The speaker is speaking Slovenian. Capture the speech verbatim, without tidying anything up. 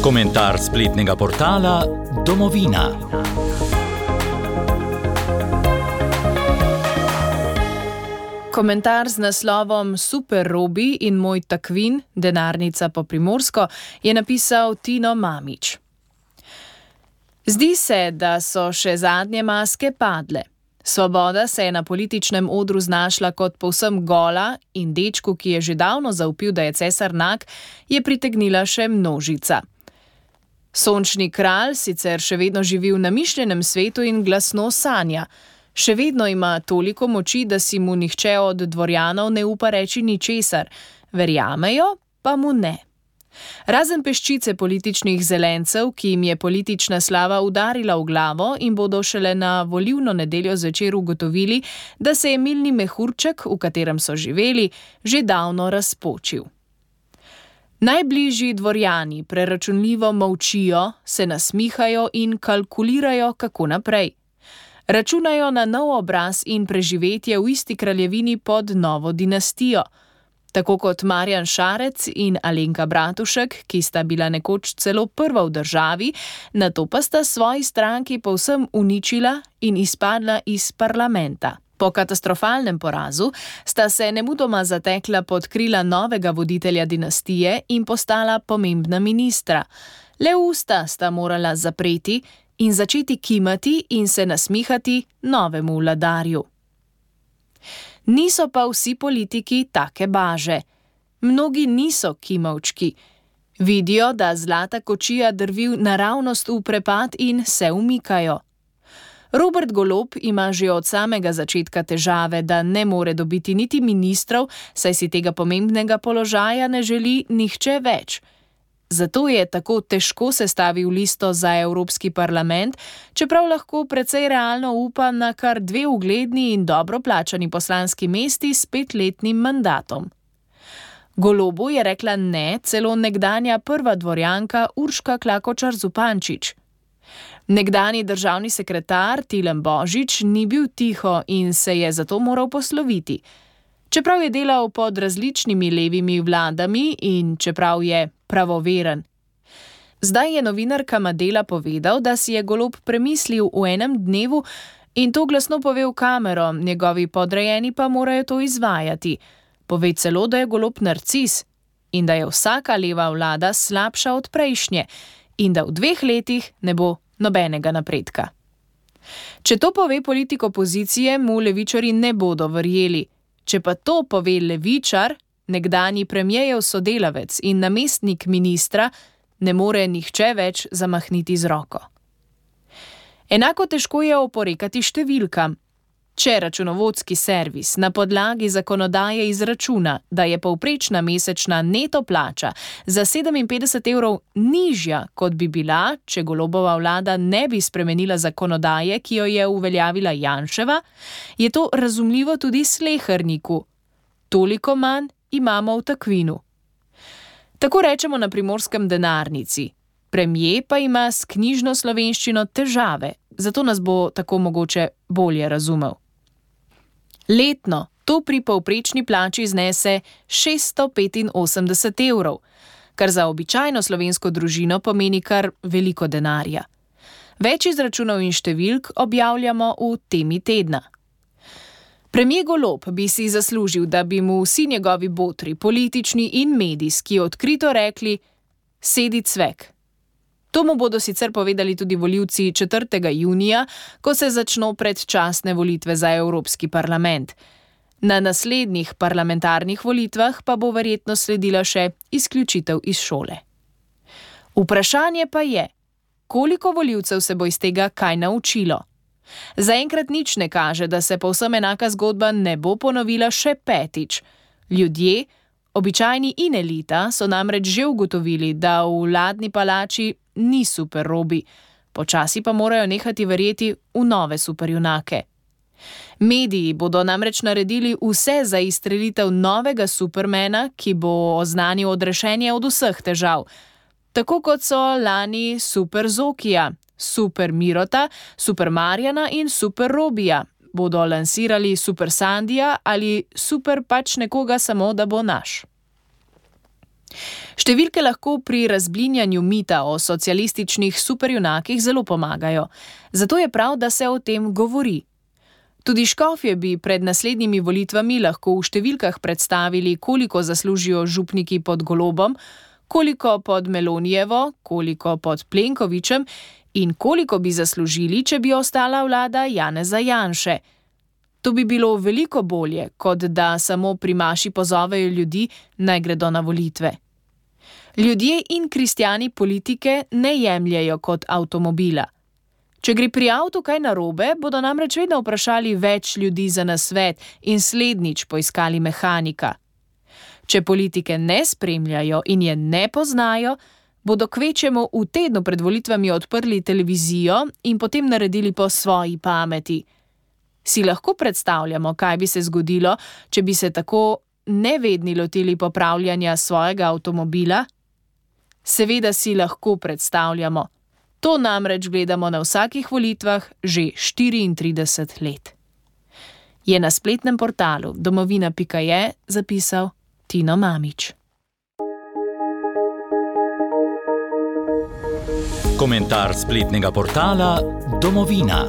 Komentar spletnega portala Domovina. Komentar z naslovom Super Robi in moj takvin, denarnica po primorsko, je napisal Tino Mamić. Zdi se, da so še zadnje maske padle. Svoboda se je na političnem odru znašla kot povsem gola in dečku, ki je že davno zaupil, da je cesar nag, je pritegnila še množica. Sončni kralj sicer še vedno živi v namišljenem svetu in glasno sanja. Še vedno ima toliko moči, da si mu nihče od dvorjanov ne upa reči ničesar. Verjamejo, pa mu ne. Razen peščice političnih zelencev, ki jim je politična slava udarila v glavo in bodo šele na volilno nedeljo zvečer ugotovili, da se je milni mehurček, v katerem so živeli, že davno razpočil. Najbližji dvorjani preračunljivo molčijo, se nasmihajo in kalkulirajo, kako naprej. Računajo na nov obraz in preživetje v isti kraljevini pod novo dinastijo. Tako kot Marjan Šarec in Alenka Bratušek, ki sta bila nekoč celo prva v državi, nato pa sta svoji stranki povsem uničila in izpadla iz parlamenta. Po katastrofalnem porazu sta se nemudoma zatekla pod krila novega voditelja dinastije in postala pomembna ministra. Le usta sta morala zapreti in začeti kimati in se nasmihati novemu vladarju. Niso pa vsi politiki take baže. Mnogi niso kimavčki. Vidijo, da zlata kočija drvi naravnost v prepad in se umikajo. Robert Golob ima že od samega začetka težave, da ne more dobiti niti ministrov, saj si tega pomembnega položaja ne želi nihče več. Zato je tako težko sestavil listo za Evropski parlament, čeprav lahko precej realno upa na kar dve ugledni in dobro plačani poslanski mesti s petletnim mandatom. Golobu je rekla ne celo nekdanja prva dvorjanka Urška Klakočar Zupančič. Nekdanji državni sekretar Tilen Božič ni bil tiho in se je zato moral posloviti. Čeprav je delal pod različnimi levimi vladami in čeprav je pravoveren. Zdaj je novinarkama Dela povedal, da si je Golob premislil v enem dnevu in to glasno pove v kamero, njegovi podrejeni pa morajo to izvajati. Pove celo, da je Golob narcis in da je vsaka leva vlada slabša od prejšnje in da v dveh letih ne bo nobenega napredka. Če to pove politik opozicije, mu levičarji ne bodo verjeli. Če pa to pove levičar, nekdanji premierjev sodelavec in namestnik ministra, ne more nihče več zamahniti z roko. Enako težko je oporekati številkam. Če računovodski servis na podlagi zakonodaje izračuna, da je povprečna mesečna neto plača za sedeminpetdeset evrov nižja, kot bi bila, če Golobova vlada ne bi spremenila zakonodaje, ki jo je uveljavila Janševa, je to razumljivo tudi sleherniku. Toliko manj imamo v takvinu. Tako rečemo na primorskem denarnici. Premier pa ima s knjižno slovenščino težave, zato nas bo tako mogoče bolje razumel. Letno to pri povprečni plači znese šeststo petinosemdeset evrov, kar za običajno slovensko družino pomeni kar veliko denarja. Več izračunov in številk objavljamo v temi tedna. Premier Golob bi si zaslužil, da bi mu vsi njegovi botri, politični in medijski, odkrito rekli: sedi cvek. To mu bodo sicer povedali tudi volivci četrtega junija, ko se začno predčasne volitve za Evropski parlament. Na naslednjih parlamentarnih volitvah pa bo verjetno sledila še izključitev iz šole. Vprašanje pa je, koliko volivcev se bo iz tega kaj naučilo? Zaenkrat nič ne kaže, da se povsem enaka zgodba ne bo ponovila še petič. Ljudje, običajni in elita, so namreč že ugotovili, da v vladni palači ni super Robi, počasi pa morajo nehati verjeti v nove superjunake. Mediji bodo namreč naredili vse za izstrelitev novega supermena, ki bo oznanil odrešenje od vseh težav. Tako kot so lani super Zokija, super Mirota, super Marjana in super Robija, bodo lansirali super Sandija ali super pač nekoga samo, da bo naš. Številke lahko pri razblinjanju mita o socialističnih superjunakih zelo pomagajo, zato je prav, da se o tem govori. Tudi škofje bi pred naslednjimi volitvami lahko v številkah predstavili, koliko zaslužijo župniki pod Golobom, koliko pod Melonijevo, koliko pod Plenkovićem in koliko bi zaslužili, če bi ostala vlada Janeza Janše. To bi bilo veliko bolje, kot da samo pri maši pozovejo ljudi, naj gredo na volitve. Ljudje in kristjani politike ne jemljejo kot avtomobila. Če gre pri avtu kaj narobe, bodo namreč vedno vprašali več ljudi za nasvet in slednjič poiskali mehanika. Če politike ne spremljajo in je ne poznajo, bodo kvečjemu v tednu pred volitvami odprli televizijo in potem naredili po svoji pameti. Si lahko predstavljamo, kaj bi se zgodilo, če bi se tako nevedni lotili popravljanja svojega avtomobila? Seveda si lahko predstavljamo. To namreč gledamo na vsakih volitvah že štiriintrideset let. Je na spletnem portalu domovina pika je zapisal Tino Mamić. Komentar spletnega portala Domovina.